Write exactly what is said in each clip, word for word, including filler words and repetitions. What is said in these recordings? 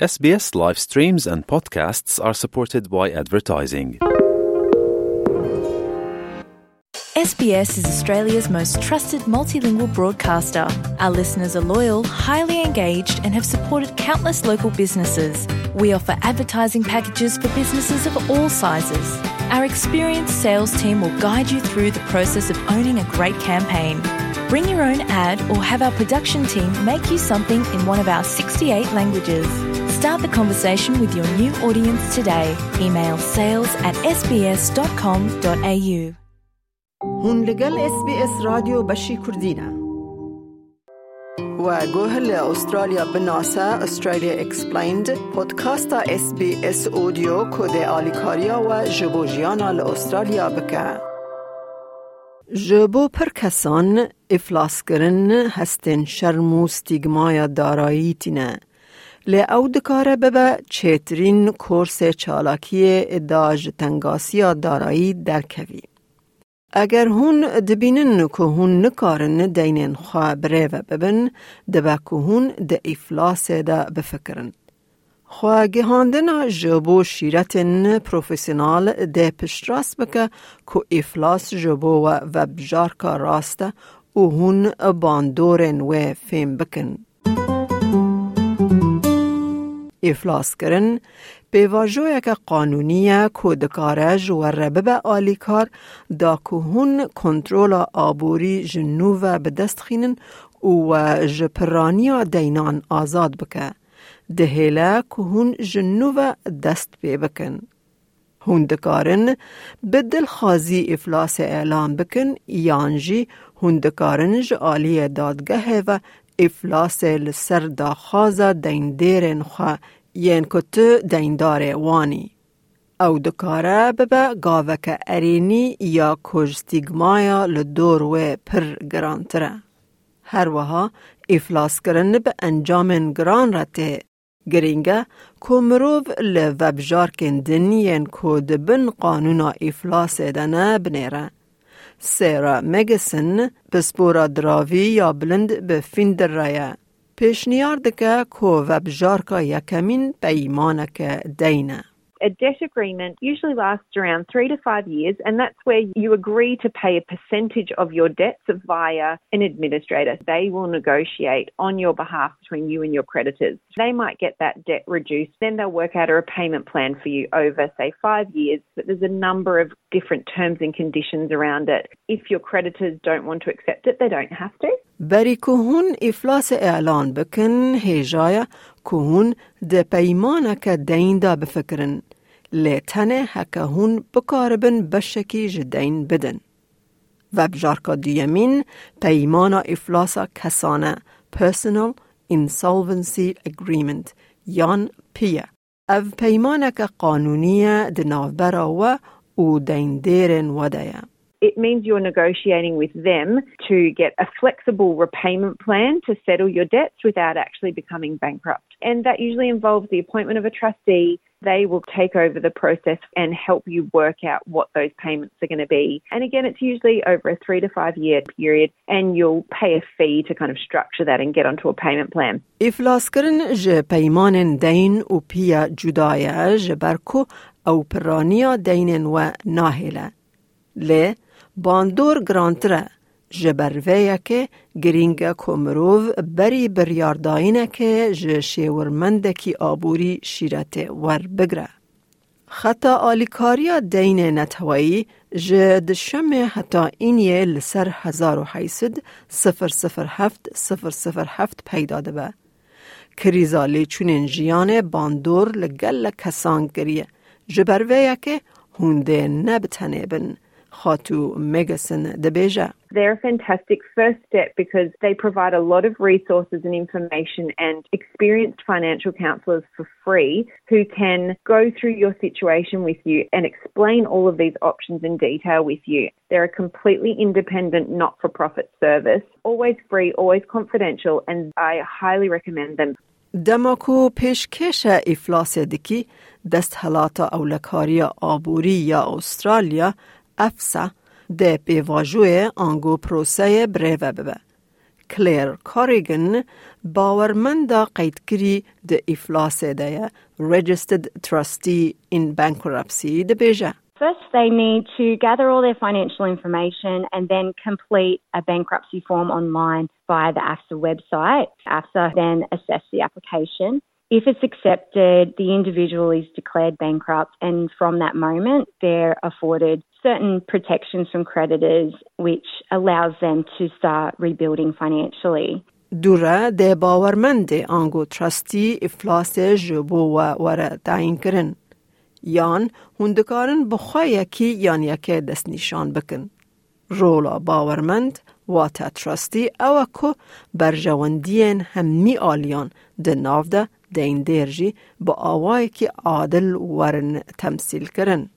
S B S live streams and podcasts are supported by advertising. S B S is Australia's most trusted multilingual broadcaster. Our listeners are loyal, highly engaged, and have supported countless local businesses. We offer advertising packages for businesses of all sizes. Our experienced sales team will guide you through the process of owning a great campaign. Bring your own ad or have our production team make you something in one of our sixty-eight languages. Start the conversation with your new audience today. Email sales at S B S dot com dot A U. Hûn li gel S B S Radyo Beşî Kurdî ne. We guh li Australya binase, Australia Explained, podcasta S B S Audio ku dê alîkariya we ji bo jiyana li Australya bike. Ji bo pir kesan, îflaskirin hestên şerm û stîgmaya darayî tîne. Lê ew dikare bibe çêtirîn korsê çalakiyê da ji tengasiya darayî derkevî. Eger hûn dibînin ku hûn nikarin deynên xwe birêve bibin, dibe ku hûn di îflasê de bifikirin. Xwegihandina ji bo şîretên profesyonal dê piştrast bike ku îflas ji bo we vebjarka rast e û hûn bandorên wê fêm bikin. Îflaskirin pêvajoyeke qanûnî ye ku dikare ji we re bibe alîkar, da ku hûn kontrola aborî ji nû ve bi dest xînin û we ji piraniya deynan azad bike. Dihêle ku hûn ji nû ve dest pê bikin. Hûn dikarin bi dilxwazî îflasê elan bikin, yan jî hûn dikarin ji aliyê dadgehê ve îflasê li ser daxwaza deyndêrên xwe yên ku tu deyndarê wan î. Ew dikare bibe gaveke erênî ya ku ji stîgmaya li dor wê pir girantir e. Her wiha îflaskirin bi encamên giran re tê. Girîng e ku mirov li vebjarkên din yên ku di bin qanûna îflasê de ne binêre. Sarah Magidson, pispora diravî ya bilind bi Finder re ye. Pêşniyar dike ku vebjarka yekemîn peymaneke deyn e. A debt agreement usually lasts around three to five years, and that's where you agree to pay a percentage of your debts via an administrator. They will negotiate on your behalf between you and your creditors. They might get that debt reduced, then they'll work out a repayment plan for you over, say, five years. But there's a number of different terms and conditions around it. If your creditors don't want to accept it, they don't have to. Berî ku hûn îflasê elan bikin, hêja ye ku hûn di peymaneke deyn de bifikirin, lê tenê heke hûn bikaribin beşekî ji deyn bidin. Vebjarka duyemîn peymana îflasa kesane, Personal Insolvency Agreement, yan P I A. Ev peymaneke qanûnî ye di navbera we û deyndêrên we de ye. It means you're negotiating with them to get a flexible repayment plan to settle your debts without actually becoming bankrupt. And that usually involves the appointment of a trustee. They will take over the process and help you work out what those payments are going to be. And again, it's usually over a three to five year period, and you'll pay a fee to kind of structure that and get onto a payment plan. Îflaskirin ji peymanên deyn û P I A cuda ye, ji ber ku ew piraniya deynên we nahêle. Lê bandor girantir e. Ji ber vê yekê girîng e ku mirov berî biryardayînekê ji şêwirmendekî aborî şîretê werbigre. Xeta alîkariya deynê neteweyî ji duşemê heta îniyê li ser hezar û heyt sed sifir sifir heft sifir sifir heft peyda dibe. Krîza lêçûnên jiyanê bandor li gelek kesan kiriye. Ji ber vê yekê hûn dê ne bi tenê bin. Xatû Magidson dibêje. They're a fantastic first step because they provide a lot of resources and information and experienced financial counsellors for free who can go through your situation with you and explain all of these options in detail with you. They're a completely independent, not for profit service, always free, always confidential, and I highly recommend them. Dema ku pêşkêşe îflasê dikî, Desthelata Ewlekariya Aborî ya Australya, EFSA, dê pêvajoyê ango proseyê birêve bibe. Claire Corrigan bawermenda qeydkirî di îflasê de ye, Registered Trustee in Bankruptcy, dibêje. First, they need to gather all their financial information and then complete a bankruptcy form online via the AFSA website. AFSA then assess the application. If it's accepted, the individual is declared bankrupt, and from that moment, they're afforded certain protections from creditors, which allows them to start rebuilding financially. Dûre dê bawermendê ango trustî îflasê ji bo we were tayînkirin. Yan hûn dikarin bi xwe yekî yan yekê destnîşan bikin. Rola bawermend, wate trustî, ew e ku berjewendiyên hemî aliyan di nav de deyndêr jî bi awayekî adil werin temsîlkirin.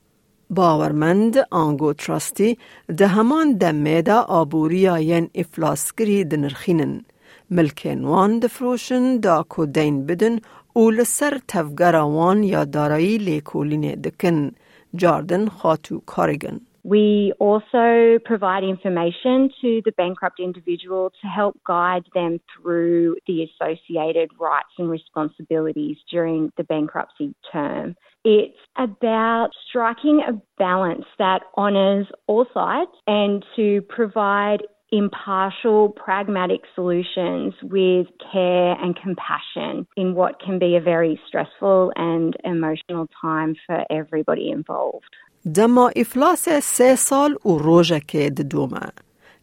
Bawermend ango trustî di heman demê de aboriya yên îflaskirî dinirxînin, milkên wan difiroşin da ku deyn bidin û li ser tevgera wan ya darayî lêkolînê dikin, Jardin Xatû Corrigan. We also provide information to the bankrupt individual to help guide them through the associated rights and responsibilities during the bankruptcy term. It's about striking a balance that honours all sides and to provide impartial, pragmatic solutions with care and compassion in what can be a very stressful and emotional time for everybody involved. Dema îflasê sê sal û rojekê didome.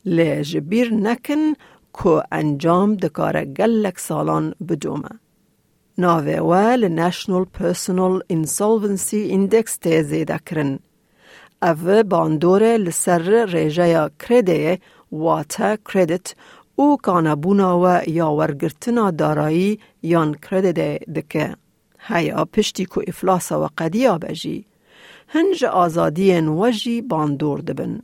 Lê ji bîr nekin ku encam dikare gelek salan bidome. Navê we li National Personal Insolvency Index tê zêdekirin. Ev bandorê li ser rêjeya kredeyê, wate credit, û kanebûna we ya wergirtina darayî yan kredeyê dike. Heya piştî ku îflasa we qediya be jî, hin ji azadiyên we jî bandor dibin.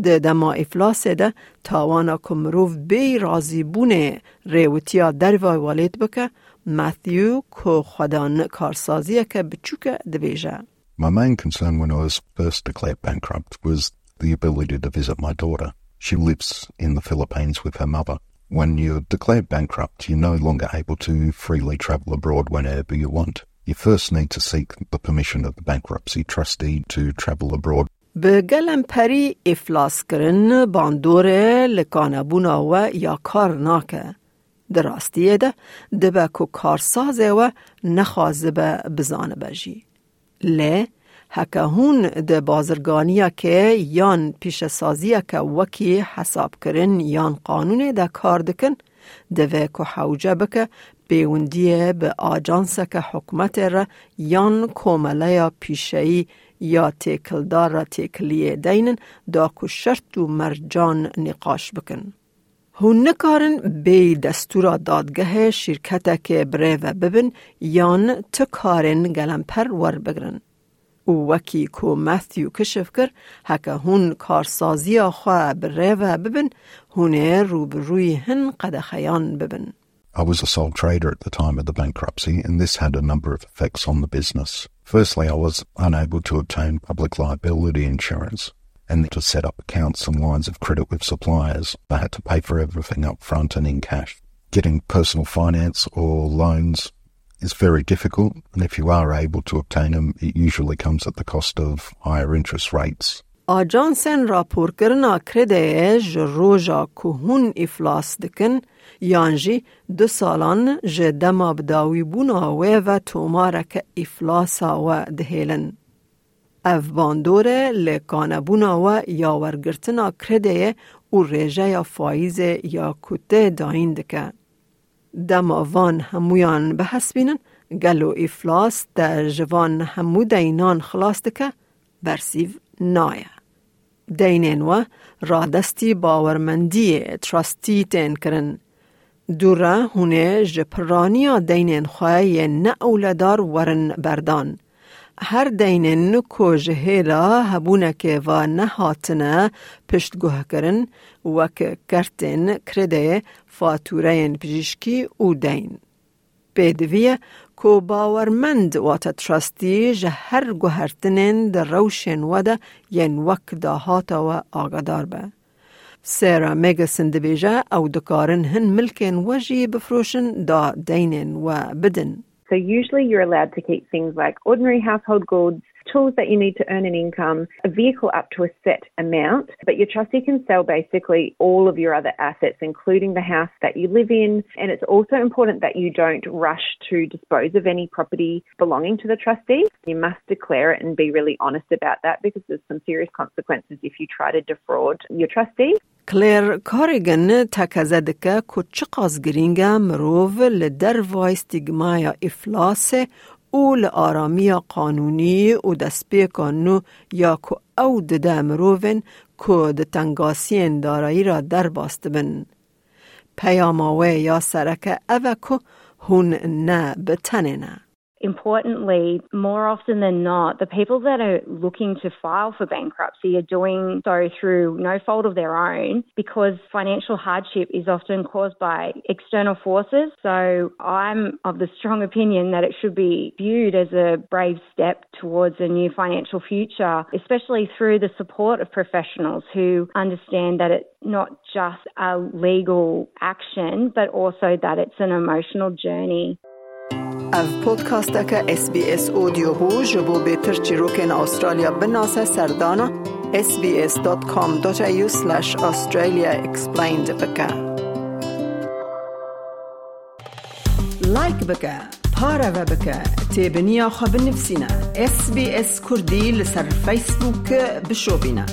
Di dema îflasê de tawana ku mirov bêyî razîbûnê rêwitiya derva welêt bike, Matthew ku xwedan karsaziyeke biçûk e dibêje. My main concern when I was first declared bankrupt was the ability to visit my daughter. She lives in the Philippines with her mother. When you're declared bankrupt, you're no longer able to freely travel abroad whenever you want. You first need to seek the permission of the bankruptcy trustee to travel abroad. Bi gelemperî îflaskirin bandorê li kanebûna we ya kar nake. Di rastiyê de dibe ku karsazê we nexwazibe bizanibe jî. Lê heke hûn di bazirganiyeke yan pîşesaziyeke wekî hesabkirin yan qanûnê de kar dikin, divê ku hewce bike pêwendiyê bi ajanseke hikûmetê re yan komeleya pîşeyî ya têkildar re têkiliyê deynin da ku şert û mercan nîqaş bikin. Hûn nikarin bêyî destûra dadgehê şîrketekê birêve bibin yan ti karên gelemper werbigrin. Û wekî ku Matthew kişif kir, heke hûn karsaziya xwe birêve bibin, hûn ê rûbirûyî hin qedexeyan bibin. I was a sole trader at the time of the bankruptcy, and this had a number of effects on the business. Firstly, I was unable to obtain public liability insurance and to set up accounts and lines of credit with suppliers. I had to pay for everything up front and in cash. Getting personal finance or loans is very difficult, and if you are able to obtain them, it usually comes at the cost of higher interest rates. Ajansên raporkirina kredeyê ji roja ku hûn îflas dikin, yan jî du salan ji dema bidawîbûna wê ve tomareke îflasa we dihêlin. Ev bandor e li kanebûna we ya wergirtina kredeyê û rêjeya faîzê ya ku tê dayîn dike. Dema van hemûyan bihesibînin, gelo îflas te ji van hemû deynan xilas dike? Bersîv naye. Deynên we radestî bawermendiyê trustî tên kirin. Dûre hûn ê ji pirraniya deynên xwe yên neewledar werin berdan. Her deynên ku ji hêla hebûnekê ve nehatine piştguhkirin, wek kertên kredeyê, fatûreyên pijîşkî û deyn. Pêdivî ye ku bawermend wate trustî ji her guhertinên di rewşên we de yên wek dahata we agadar be. Sarah Magidson dibêje, ew dikarin hin milkên we jî bifroşin da deynên we bidin. So usually you're allowed to keep things like ordinary household goods, tools that you need to earn an income, a vehicle up to a set amount, but your trustee can sell basically all of your other assets, including the house that you live in. And it's also important that you don't rush to dispose of any property belonging to the trustee. You must declare it and be really honest about that, because there's some serious consequences if you try to defraud your trustee. Claire Corrigan tekeze dike ku çiqas girîng e mirov li dervayî stîgmaya îflasê û li aramiya qanûnî û destpêka nû ya ku ew dide mirovên ku di tengasiyên darayî re derbas dibin. Peyama wê ya sereke ev e ku hûn ne bi tenê ne. Importantly, more often than not, the people that are looking to file for bankruptcy are doing so through no fault of their own, because financial hardship is often caused by external forces. So I'm of the strong opinion that it should be viewed as a brave step towards a new financial future, especially through the support of professionals who understand that it's not just a legal action, but also that it's an emotional journey. Ev podcasteke S B S Audio bû. Ji bo bêtir çîrokên Australya binase, serdana S B S dot com dot A U slash Australia Explained bike. Like bike, pareve bike, têbiniya xwe binivîsîne, S B S Kurdî li ser Facebook bişopîne.